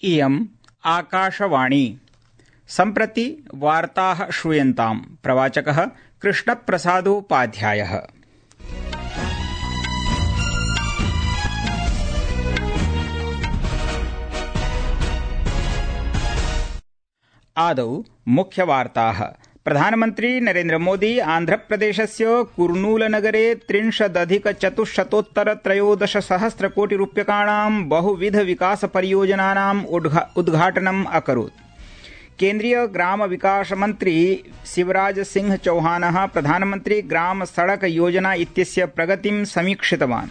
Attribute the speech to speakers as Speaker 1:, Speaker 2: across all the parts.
Speaker 1: इयम् आकाशवाणी। सम्प्रति वार्ताः श्रूयन्ताम्। प्रवाचकः कृष्णप्रसादोपाध्यायः। आदौ मुख्यवार्ताः। प्रधानमन्त्री नरेन्द्र मोदी आन्ध्रप्रदेशस्य कुर्नूलनगरे 30,13,13 बहुविधविकासपरियोजनानाम् उद्घाटनम् अकरोत्। केन्द्रीय ग्राम विकास मन्त्री शिवराज सिंह चौहानः प्रधानमन्त्री ग्राम सड़क योजना इत्यस्य प्रगतिं समीक्षितवान्।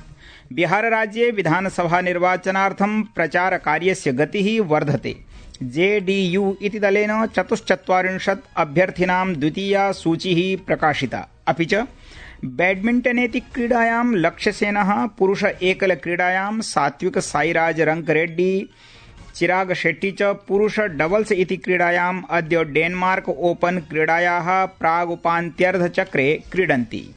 Speaker 1: बिहारराज्ये विधानसभा निर्वाचनार्थं प्रचारकार्यस्य गतिः वर्धते। जेडीयू इति दलेन 44 अभ्यर्थिनां द्वितीया सूचिः प्रकाशिता। अपि च बैडमिण्टनेति क्रीडायां लक्ष्यसेनः, पुरुष एकल क्रीडायां सात्विक साईराज रंकरेड्डी चिराग शेट्टी च पुरुष डबल्स इति क्रीडायाम् अद्य डेनमार्क ओपन क्रीडायाः प्रागुपान्त्यर्धचक्रे क्रीडन्ति।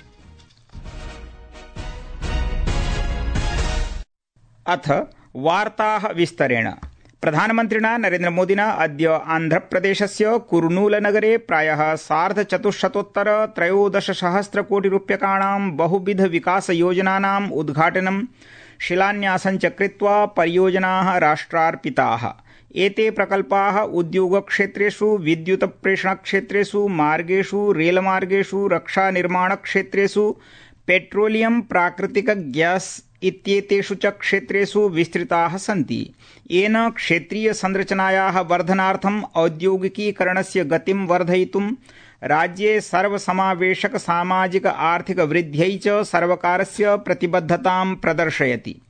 Speaker 1: अथ वार्ताः विस्तरेण। प्रधानमन्त्रिणा नरेन्द्र मोदिना अद्य आन्ध्रप्रदेशस्य कुर्नूलनगरे प्रायः 4,04,13 कोटि रूप्यकाणां बहुविधविकासयोजनानाम् उद्घाटनं शिलान्यासं च कृत्वा परियोजनाः राष्ट्रार्पिताः। एते प्रकल्पाः उद्योगक्षेत्रेषु, विद्युत प्रेषणक्षेत्रेषु, मार्गेषु, रेलमार्गेषु, रक्षानिर्माणक्षेत्रेषु, पेट्रोलियम, प्राकृतिक गैस इत्येतेषु च क्षेत्रेषु विस्तृताः सन्ति। येन क्षेत्रीय संरचनायाः वर्धनार्थम् औद्योगिकीकरणस्य गतिं वर्धयितुं राज्ये सर्वसमावेशक सामाजिक आर्थिक वृद्ध्यै च सर्वकारस्य प्रतिबद्धतां प्रदर्शयति।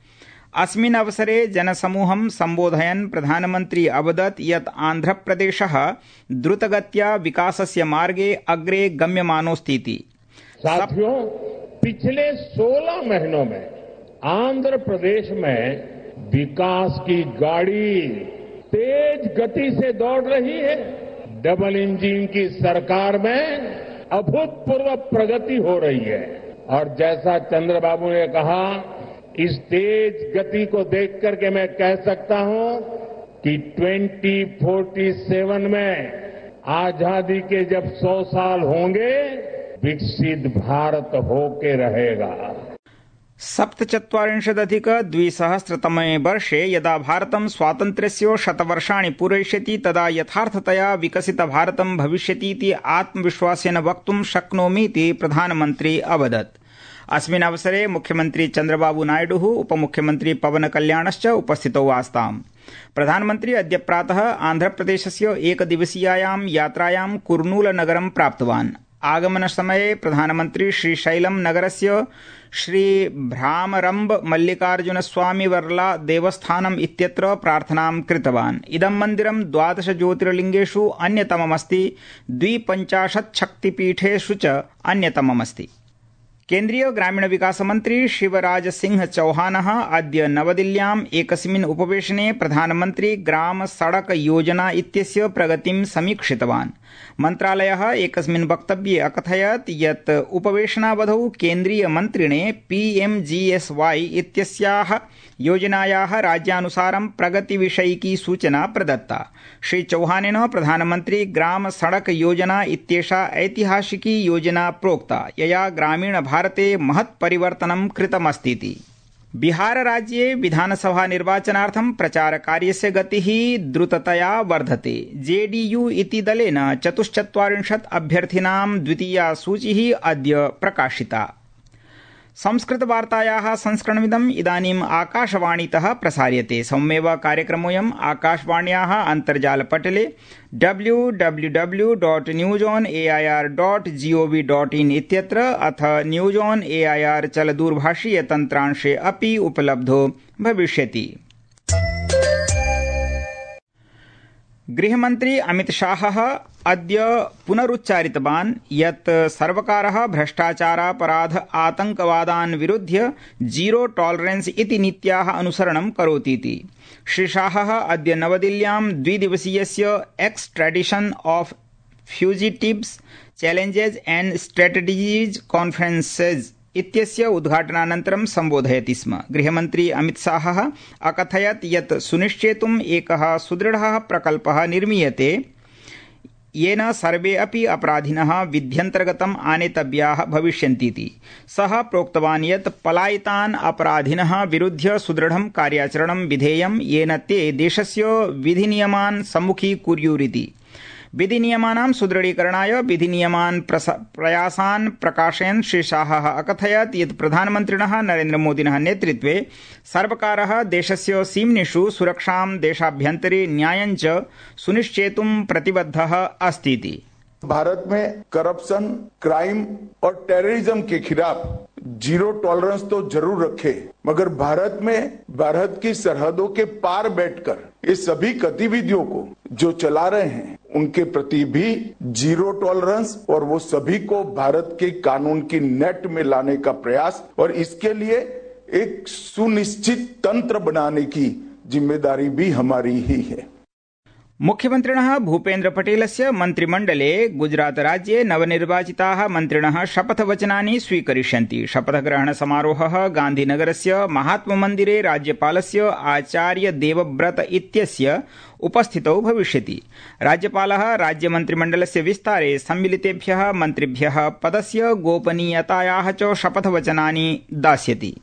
Speaker 1: अस्मिन् अवसरे जनसमूहं सम्बोधयन् प्रधानमन्त्री अवदत् यत् आन्ध्रप्रदेशः द्रुतगत्या विकासस्य मार्गे अग्रे गम्यमानोऽस्तीति।
Speaker 2: साथियों, पिछले 16 महीनों में आंध्र प्रदेश में विकास की गाड़ी तेज गति से दौड़ रही है। डबल इंजन की सरकार में अभूतपूर्व प्रगति हो रही है और जैसा चंद्रबाबू ने कहा, इस तेज गति को देख करके मैं कह सकता हूं कि 2047 में आजादी के जब 100 साल होंगे, विकसित भारत होके रहेगा।
Speaker 1: 47,200 वर्षे यदा भारतं स्वातन्त्र्यस्य 100 वर्षाणि पूरयिष्यति तदा यथार्थतया विकसितभारतं भविष्यतीति आत्मविश्वासेन वक्तुं शक्नोमीति प्रधानमन्त्री अवदत्। अस्मिन् अवसरे मुख्यमन्त्री चन्द्रबाबू नायडुः, उपमुख्यमन्त्री पवनकल्याणश्च उपस्थितौ आस्ताम्। प्रधानमन्त्री अद्य प्रातः आन्ध्रप्रदेशस्य एकदिवसीयायां यात्रायां कुर्नूलनगरं प्राप्तवान्। आगमनसमये प्रधानमन्त्री श्रीशैलम नगरस्य श्रीभ्रामरम्ब मल्लिकार्जुनस्वामिवर्ला देवस्थानम् इत्यत्र प्रार्थनां कृतवान्। इदं मन्दिरं 12 ज्योतिर्लिङ्गेषु अन्यतममस्ति, 52 शक्तिपीठेषु च अन्यतममस्ति। केन्द्रीय ग्रामीण विकास मन्त्री शिवराज सिंह चौहानः अद्य नवदिल्ल्याम् एकस्मिन् उपवेशने प्रधानमन्त्री ग्राम सड़क योजना इत्यस्य प्रगतिं समीक्षितवान्। मन्त्रालयः एकस्मिन् वक्तव्ये अकथयत् यत् उपवेशनावधौ केन्द्रीय मन्त्रिणे PMGSY इत्यस्याः योजनायाः राज्यानुसारं प्रगतिविषयिकी सूचना प्रदत्ता। श्री चौहानेन प्रधानमन्त्री ग्राम सड़क योजना इत्येषा ऐतिहासिकी योजना प्रोक्ता, यया ग्रामीण भारते महत् परिवर्तनं कृतमस्तीति। बिहारराज्ये विधानसभा निर्वाचनार्थं प्रचारकार्यस्य गतिः द्रुततया वर्धते। जेडीयू इति दलेन 44 अभ्यर्थिनां द्वितीया सूचिः अद्य प्रकाशिता। संस्कृतवार्तायाः संस्करणमिदम् इदानीम् आकाशवाणीतः प्रसार्यते। सममेव कार्यक्रमोऽयम् आकाशवाण्याः अन्तर्जालपटले www.newsonair.gov.in इत्यत्र अथ न्यूज ऑन एआईआर चलदूरभाषीयतन्त्रांशे अपि उपलब्धो भविष्यति। गृहमन्त्री अमितशाहः अद्य पुनरुच्चारितवान् यत् सर्वकारः भ्रष्टाचारापराध आतंकवादान् विरुध्य जीरो टॉलरेंस इति नीत्याः अनुसरणं करोतीति। श्री शाहः अद्य नवदिल्ल्यां द्विदिवसीयस्य extradition of fugitives challenges and strategies conferences इत्यस्य उद्घाटनानन्तरं सम्बोधयति स्म। गृहमन्त्री अमितशाहः अकथयत् यत् सुनिश्चेतुम् एकः सुदृढः प्रकल्पः निर्मीयते येन सर्वे अपि अपराधिनः विध्यन्तर्गतम् आनेतव्याः भविष्यन्तीति। सः प्रोक्तवान् यत् पलायितान् अपराधिनः विरुध्य सुदृढं कार्याचरणं विधेयं येन ते देशस्य विधिनियमान् सम्मुखीकुर्युरिति। विधिनियमानां सुदृढीकरणाय विधिनियमान् प्रयासान् प्रकाशयन् श्री शाहः अकथयत् यत् प्रधानमन्त्रिणः नरेन्द्रमोदिनः नेतृत्वे सर्वकारः देशस्य सीम्निषु सुरक्षां देशाभ्यन्तरे न्यायं च सुनिश्चेतुं प्रतिबद्धः अस्तीति।
Speaker 3: भारत में करप्शन, क्राइम और टेररिज्म के खिलाफ जीरो टॉलरेंस तो जरूर रखे, मगर भारत की सरहदों के पार बैठकर इस सभी गतिविधियों को जो चला रहे हैं उनके प्रति भी जीरो टॉलरेंस और वो सभी को भारत के कानून की नेट में लाने का प्रयास और इसके लिए एक सुनिश्चित तंत्र बनाने की जिम्मेदारी भी हमारी ही है।
Speaker 1: मुख्यमन्त्रिणः भूपेन्द्र पटेलस्य मन्त्रिमण्डले गुजरात राज्ये नवनिर्वाचिताः मन्त्रिणः शपथवचनानि स्वीकरिष्यन्ति। शपथग्रहण समारोहः गान्धीनगरस्य महात्ममन्दिरे राज्यपालस्य आचार्य देवव्रत इत्यस्य उपस्थितौ भविष्यति। राज्यपालः राज्यमन्त्रिमण्डलस्य विस्तारे सम्मिलितेभ्यः मन्त्रिभ्यः पदस्य गोपनीयतायाः च शपथवचनानि दास्यति।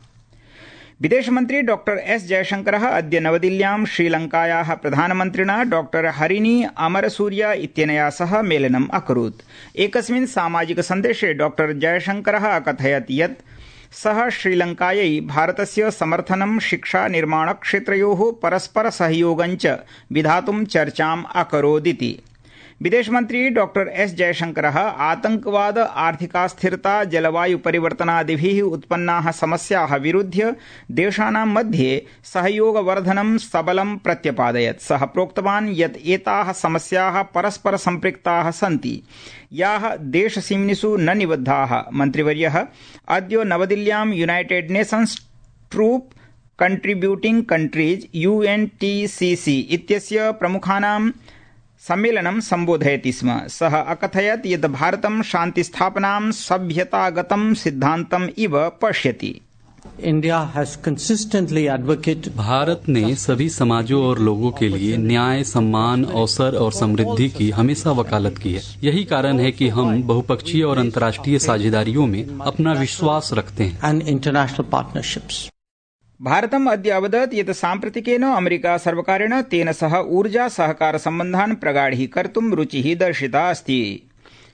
Speaker 1: विदेशमन्त्री डॉक्टर एस जयशंकरः अद्य नवदिल्ल्यां श्रीलंकायाः प्रधानमन्त्रिणा डॉक्टर हरिनी अमरसूरिया इत्यनया सह मेलनम् अकरोत्। एकस्मिन् सामाजिक सन्देशे डॉक्टर जयशंकरः अकथयत् यत् सः श्रीलंकायै भारतस्य समर्थनं शिक्षा निर्माणक्षेत्रयोः परस्पर सहयोगं च विधातुं चर्चाम् अकरोदिति। विदेशमन्त्री डॉक्टर एस जयशंकरः आतंकवाद, आर्थिकास्थिरता, जलवायु परिवर्तनादिभिः उत्पन्नाः समस्याः विरुध्य देशानां मध्ये सहयोगवर्धनं सबलं प्रत्यपादयत्। सः प्रोक्तवान् यत् एताः समस्याः परस्पर सम्पृक्ताः सन्ति, याः देशसीम्निषु न निबद्धाः। मन्त्रिवर्यः अद्य नवदिल्ल्यां United Nations troop contributing countries UNTCC इत्यस्य प्रमुखानां सम्मेलनं सम्बोधयति स्म। सः अकथयत् यत् भारतं शान्तिस्थापनां सभ्यतागतं सिद्धान्तम् इव पश्यति।
Speaker 4: भारत ने सभी समाजों और लोगों के लिए न्याय, सम्मान, अवसर और समृद्धि की हमेशा वकालत की है। यही कारण है कि हम बहुपक्षीय और अंतर्राष्ट्रीय साझेदारियों में अपना विश्वास रखते हैं।
Speaker 1: भारतम् अद्य अवदत् यत् साम्प्रतिकेन अमेरिका सर्वकारेण तेन सह ऊर्जा सहकार सम्बन्धान् प्रगाढीकर्तुं रुचिः दर्शिता अस्ति।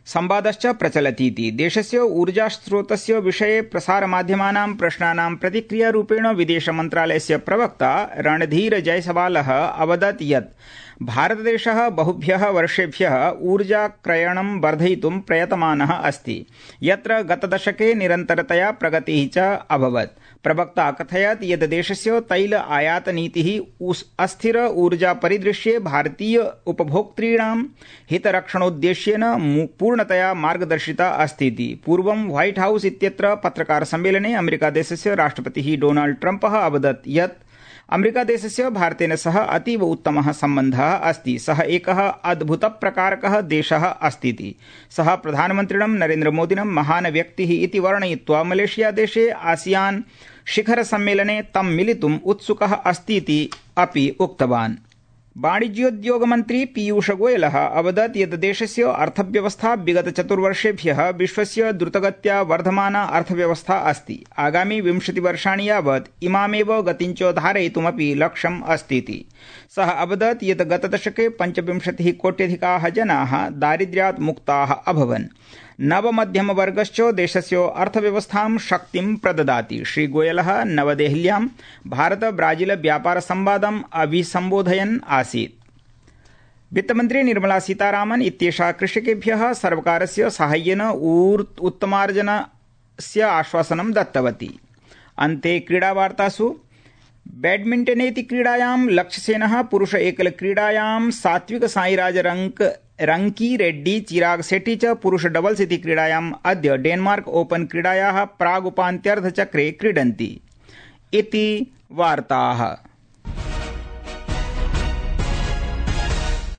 Speaker 1: संवादश्च प्रचलतीति। देशस्य ऊर्जास्रोतस्य विषये प्रसारमाध्यमानां प्रश्नानां प्रतिक्रियारूपेण विदेशमन्त्रालयस्य प्रवक्ता रणधीर जयसवालः अवदत् यत् भारतदेशः बहुभ्यः वर्षेभ्यः ऊर्जाक्रयणं वर्धयितुं प्रयतमानः अस्ति, यत्र गतदशके निरन्तरतया प्रगतिः च अभवत्। प्रवक्ता कथयत् यत् देशस्य तैल आयात नीतिः अस्थिर ऊर्जा परिदृश्ये भारतीय उपभोक्तॄणां हितरक्षणोद्देश्येन पूर्णतया मार्गदर्शिता अस्तीति। पूर्वं व्हाइट हाउस इत्यत्र पत्रकार सम्मेलने अमेरिकादेशस्य राष्ट्रपतिः डोनाल्ड ट्रम्पः अवदत् यत् अमेरिकादेशस्य भारतेन सह अतीव उत्तमः सम्बन्धः अस्ति। सः एकः अद्भुतप्रकारकः देशः अस्तीति। सः प्रधानमन्त्रिणं नरेन्द्रमोदिनं महान् व्यक्तिः इति वर्णयित्वा मलेशियादेशे आसियान शिखर सम्मेलने तं मिलितुम् उत्सुकः अस्तीति अपि उक्तवान्। वाणिज्योद्योगमन्त्री पीयूष गोयलः अवदत् यत् देशस्य अर्थव्यवस्था विगत चतुर्वर्षेभ्यः विश्वस्य द्रुतगत्या वर्धमाना अर्थव्यवस्था अस्ति। आगामि 20 वर्षाणि यावत् इमामेव गतिं च धारयितुमपि लक्ष्यम् अस्तीति। सः अवदत् यत् गतदशके 25 कोट्यधिकाः जनाः दारिद्र्यात् मुक्ताः अभवन्। नवमध्यमवर्गश्च देशस्य अर्थव्यवस्थां शक्तिं प्रददाति। श्री गोयलः नवदेहल्यां भारत ब्राजील व्यापार संवादम् अभिसम्बोधयन् आसीत्। वित्तमन्त्री निर्मला सीतारामन् इत्येषा कृषकेभ्यः सर्वकारस्य साहाय्येन उत्तमार्जनस्य आश्वासनं दत्तवती। अन्ते क्रीडावार्तासु बैडमिण्टनेति क्रीडायां लक्ष्यसेनः पुरुष एकलक्रीडायां सात्विक साईराज रंकी रेड्डी चिराग शेट्टी च पुरुष डबल्स इति क्रीडायाम् अद्य डेनमार्क ओपन क्रीडायाः प्रागुपान्त्यर्धचक्रे क्रीडन्ति इति वार्ताः।